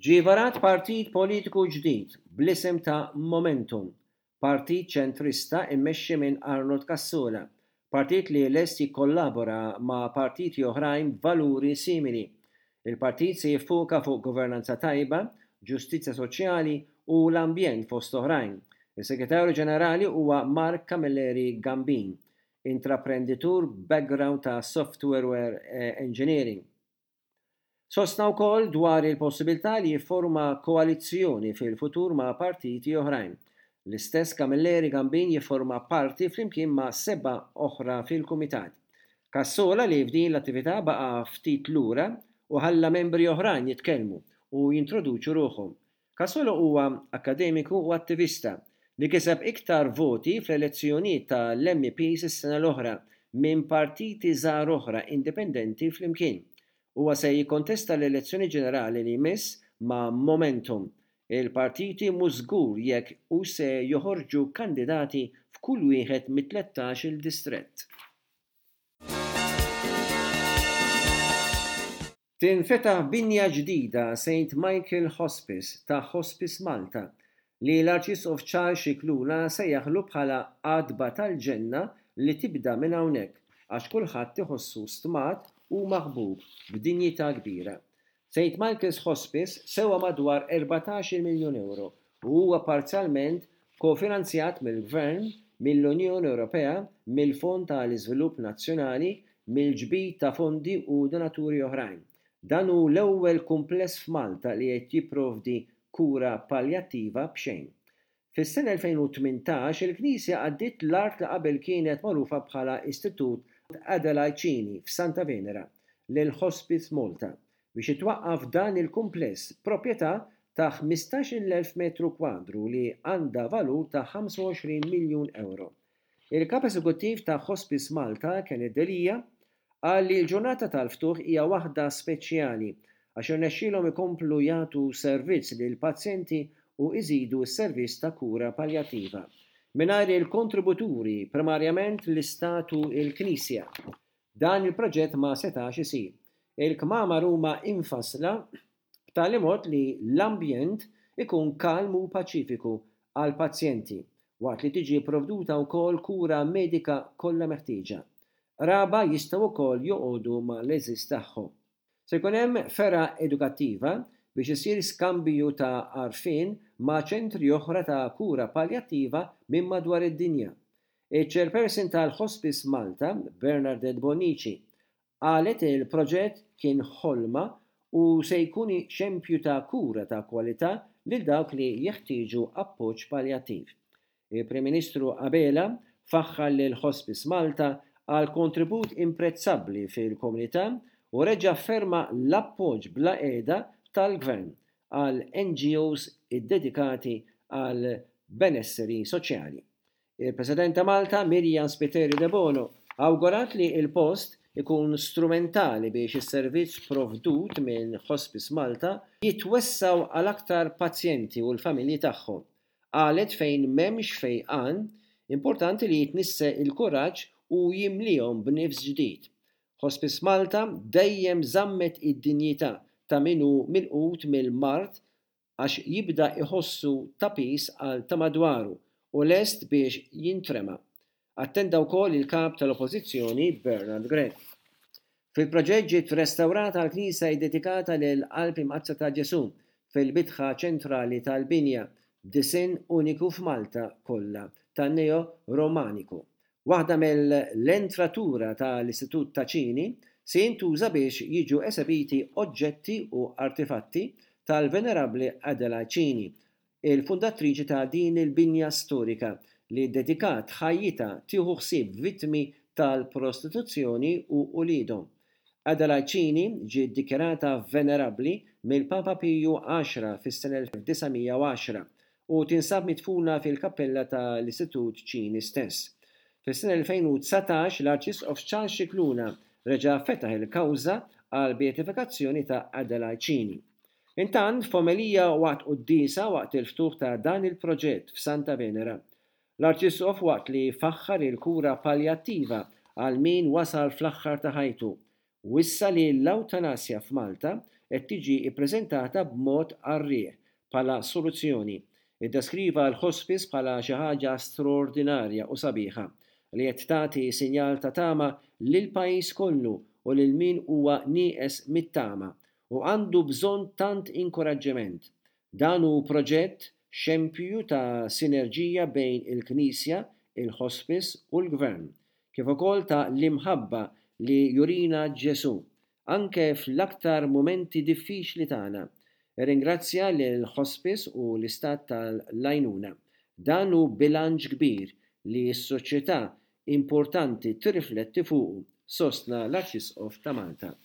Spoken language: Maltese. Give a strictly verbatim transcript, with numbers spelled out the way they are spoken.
Ġie varat partit politiku ġdid bl-isem ta' Momentum, partit ċentrista immexxi minn Arnold Cassola, partit li lest jikkollabora ma' partiti oħrajn b'valuri simili. Il-partit se jiffoka fuq governanza tajba, ġustizzja soċjali u l-ambjent fost oħrajn. Is-Segretarju Ġenerali huwa Mark Camilleri Gambin, intraprenditur background ta' software engineering. Sostna wkoll dwar il-possibilità li jifforma koalizzjoni fil-futur ma' partiti oħrajn. L-istess Camilleri Gambin jifforma parti flimkien ma' seba' oħra fil-kumitat. Cassola li f'din l-attività baqa' ftit lura u ħalla membri oħrajn jitkellmu u jintroduċu ruħhom. Cassola huwa akademiku u attivista li kiseb iktar voti fl-elezzjonijiet tal-M Ps is-sena l-oħra minn partiti żgħar oħra indipendenti flimkien. Huwa se jikkontesta l-elezzjoni ġenerali li jmiss ma' Momentum. Il-partiti mhux żgur jekk u se joħorġu kandidati f'kull wieħed mit-tlettax il distrett. Tinfetaħ binja ġdida Saint Michael Hospice ta' Hospice Malta li l-Arċisqof Charles Scicluna sejjaħlu bħala għatba tal-ġenna li tibda minn hawnhekk għax kulħadd iħossu stmat u maħbub b'dinjità kbira. Saint Michael's Hospice sewa madwar erbatax-il miljun euro u huwa parzjalment kofinanzjat mill-Gvern, mill-Unjoni Ewropea, mill-Fond tal-Iżvilupp Nazzjonali, mill-ġbid ta' fondi u donaturi oħrajn. Dan hu l-ewwel kumpless f'Malta li qed jipprovdi kura paljattiva b'xejn. Fis-sena elfejn u tmintax il-Knisja għaddiet l-art li qabel kienet magħrufa bħala Istitut Adelaide Cini f'Santa Venera lil Hospice Malta biex itwaqqaf dan il-kumpless proprjetà ta' ħmistax-il elf metru kwadru li għandha valur ta' ħamsa u għoxrin miljun euro. Il-kap eżekuttiv ta' Hospice Malta, Kenneth Delia, qal li l-ġurnata tal-ftuħ hija waħda speċjali għax irnexxielhom ikomplu jagħtu servizz lil pazjenti u iżidu s-servizz ta' kura paljattiva. Mingħajr il-kontributuri, primarjament l-Istat u l-Knisja, dan il-proġett ma setax isir. Il-kmamar huma infassla b'tali mod li l-ambjent ikun kalm u paċifiku għal pazjenti waqt li tiġi provduta wkoll kura medika kollha meħtieġa. Qraba jistgħu wkoll joqogħdu mal-għeżież tagħhom. Se jkun hemm fergħa edukattiva biex isir skambju ta' għarfien ma' ċentri oħra ta' kura paljattiva minn madwar id-dinja. Il-chairperson tal-Hospice Malta, Bernadette Bonnici, qalet il-proġett kien ħolma u se jkun xempju ta' kura ta' kwalità lil dawk li jeħtieġu appoġġ paljattiv. Il-Prim Ministru Abela faħħar lil Hospice Malta għal kontribut imprezzabbli fil-komunità u reġa' afferma l-appoġġ bla qiegħda tal-Gvern għal N G Os iddedikati għal benesseri soċjali. Il-President ta' Malta, Myriam Spiteri Debono, awgurat li il-post ikun strumentali biex is-servizz provdut minn Hospice Malta jitwessaw għal aktar pazjenti u l-familji tagħhom. Qalet fejn m'hemmx fejqan, importanti li jitnissel il-kuraġġ u jimlihom b'nifs ġdid. Hospice Malta dejjem żammet id-dinjità ta' min hu milqut mill-mard għax jibda iħossu ta' piż għal ta' madwaru u lest biex jintrema. Attenda wkoll il-kap tal-Oppożizzjoni Bernard Grech. Fil-proġett ġiet restawrata l-knisja ddedikata lil Qalb Imqaddsa ta' Ġesu fil-bitħa ċentrali tal-binja b'disinn uniku f'Malta kollha tan-Neo Romaniku. Waħda mill-entratura tal-Istitut ta' Ċini se jintuża biex jiġu esebiti oġġetti u artefatti tal-Venerabbli Adelaide Cini, il-fundatriċi ta' din il-binja storika li dedikat ħajjitha tieħu ħsieb vittmi tal-prostituzzjoni u uliedhom. Adelaide Cini ġiet dikjarata venerabbli mill-Papa Piju għaxra fis-sena elf disa' mija u għaxra u tinsab midfuna fil-kappella tal-Istitut Ċini stess. Fis-sena elfejn u dsatax l-Arċisqof Charles Scicluna reġa' fetaħ il-kawża għal beatifikazzjoni ta' Adelaide Cini. Intant, f'omelija waqt quddiesa waqt il-ftuħ ta' dan il-proġett f'Santa Venera, l-Arċisqof waqt li faħħar il-kura paljattiva għal min wasal fl-aħħar ta' ħajtu, wissa li l-awtanasja f'Malta qed tiġi ppreżentata b'mod qarrieq bħala soluzzjoni. Iddeskriva l-hospice bħala xi ħaġa straordinarja u sabiħa li qed tagħti sinjal ta' tama lil pajjiż kollu u lil min huwa nieqes mit-tama u għandu bżonn tant inkoraġġiment. Dan hu proġett xempju ta' sinerġija bejn il-Knisja, il-hospice u l-Gvern, kif ukoll ta' l-imħabba li jurina Ġesù, anke fl-aktar mumenti diffiċli tagħna. Irringrazzja lil hospice u l-istat tal-għajnuna. Dan hu bilanċ kbir li s-soċjetà importanti tirrifletti fuqu, sostna l-Arċisqof ta' Malta.